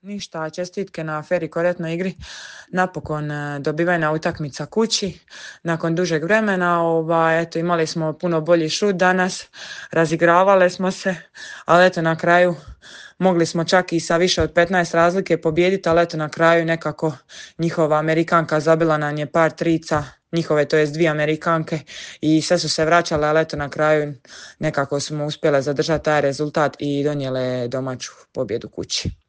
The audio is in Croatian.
Ništa, čestitke na fer i korektnoj igri. Napokon dobivena utakmica kući nakon dužeg vremena. Eto, imali smo puno bolji šut danas, razigravale smo se, ali eto na kraju mogli smo čak i sa više od 15 razlike pobijediti, ali eto na kraju nekako njihova Amerikanka zabila nam je par trica, njihove, to jest 2 Amerikanke, i sve su se vraćale, ali eto na kraju nekako smo uspjele zadržati taj rezultat i donijele domaću pobjedu kući.